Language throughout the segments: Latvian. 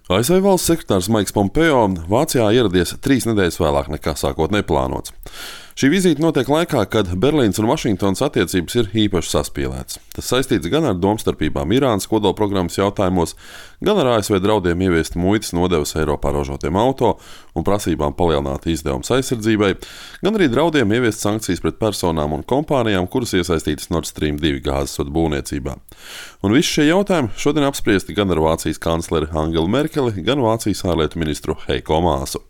ASV valsts sekretārs Maiks Pompeo Vācijā ieradies 3 nedēļas vēlāk nekā sākotnēji plānots. Šī vizīte notiek laikā, kad Berlīnas un Vašingtonas attiecības ir īpaši saspīlētas. Tas saistīts gan ar domstarpībām Irānas kodolprogrammas jautājumos, gan ar ASV draudiem ieviest muitas nodevas Eiropā ražotiem auto un prasībām palielināt izdevumus aizsardzībai, gan arī draudiem ieviest sankcijas pret personām un kompānijām, kuras iesaistītas Nord Stream 2 gāzes vadu būvniecībā. Un visi šie jautājumi šodien apspriesti gan ar Vācijas kancleri Angelu Merkeli, gan Vācijas ārlietu ministru Heiko Maasu.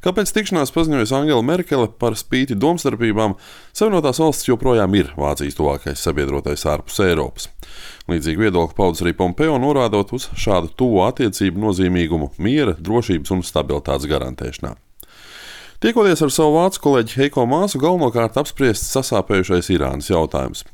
Kāpēc tikšanās paziņojusi Angela Merkele par spīti domstarpībām, Savienotās valstis joprojām ir Vācijas tuvākais sabiedrotais ārpus Eiropas. Līdzīgi viedokli paudis arī Pompeo, norādot uz šādu tuvo attiecību nozīmīgumu miera, drošības un stabilitātes garantēšanā. Tiekoties ar savu vācu kolēģi Heiko Maasu, galvenokārt apspriests sasāpējušais Irānas jautājums.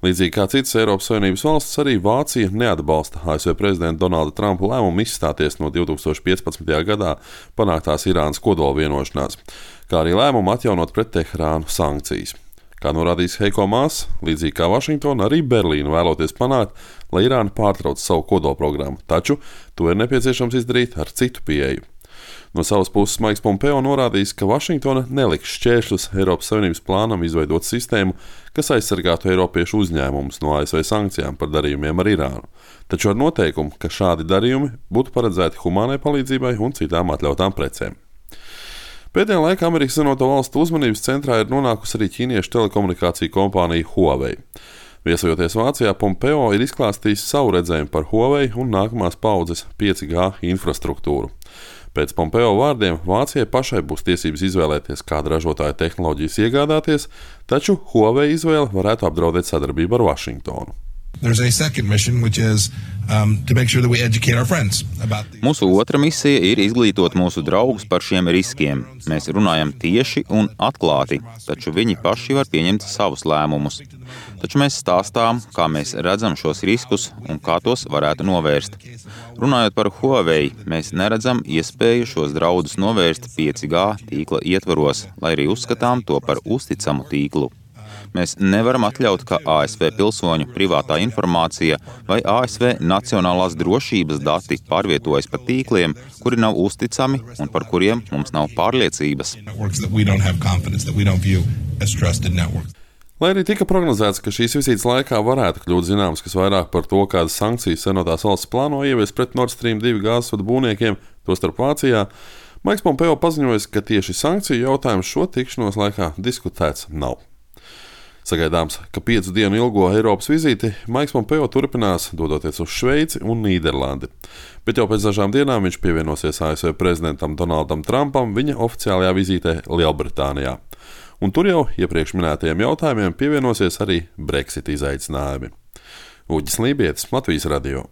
Līdzīgi kā citas Eiropas Savienības valstis, arī Vācija neatbalsta ASV prezidenta Donalda Trumpa lēmumu izstāties no 2015. gadā panāktās Irānas kodola vienošanās, kā arī lēmumu atjaunot pret Teherānu sankcijas. Kā norādījis Heiko Maas, līdzīgi kā Vašingtona, arī Berlīna vēloties panākt, lai Irāna pārtrauc savu kodolprogrammu, taču to ir nepieciešams izdarīt ar citu pieeju. No savas puses Maiks Pompeo norādījis, ka Vašingtona neliks šķēršļus Eiropas Savienības plānam izveidot sistēmu, kas aizsargātu eiropiešu uzņēmumus no ASV sankcijām par darījumiem ar Irānu, taču ar noteikumu, ka šādi darījumi būtu paredzēti humānai palīdzībai un citām atļautām precēm. Pēdējā laikā Amerikas Savienoto Valstu uzmanības centrā ir nonākusi arī ķīniešu telekomunikāciju kompānija Huawei. Viesojoties Vācijā, Pompeo ir izklāstījis savu redzējumu par Huawei un nākamās paudzes 5G infrastruktūru. Pēc Pompeo vārdiem Vācijai pašai būs tiesības izvēlēties, kādu ražotāju tehnoloģijas iegādāties, taču Huawei izvēle varētu apdraudēt sadarbību ar Vašingtonu. Mūsu otra misija ir izglītot mūsu draugus par šiem riskiem. Mēs runājam tieši un atklāti, taču viņi paši var pieņemt savus lēmumus. Taču mēs stāstām, kā mēs redzam šos riskus un kā tos varētu novērst. Runājot par Huawei, mēs neredzam iespēju šos draudus novērst 5G tīkla ietvaros, lai arī uzskatām to par uzticamu tīklu. Mēs nevaram atļaut, ka ASV pilsoņu privātā informācija vai ASV nacionālās drošības dati pārvietojas pa tīkliem, kuri nav uzticami un par kuriem mums nav pārliecības. Lai arī tika prognozēts, ka šīs vizītes laikā varētu kļūt zināms, kas vairāk par to, kādas sankcijas Savienotās valstis plāno ieviest pret Nord Stream 2 gāzes vadu būvniekiem, tostarp Vācijā, Maiks Pompeo paziņoja, ka tieši sankciju jautājums šo tikšanos laikā diskutēts nav. Sagaidāms, ka 5 dienu ilgo Eiropas vizīti Maiks Pompeo turpinās, dodoties uz Šveici un Nīderlandi. Bet jau pēc dažām dienām viņš pievienosies ASV prezidentam Donaldam Trumpam viņa oficiālajā vizītē Lielbritānijā. Un tur jau iepriekš minētajiem jautājumiem pievienosies arī Brexit izaicinājumi. Uģis Lībietis, Latvijas radio.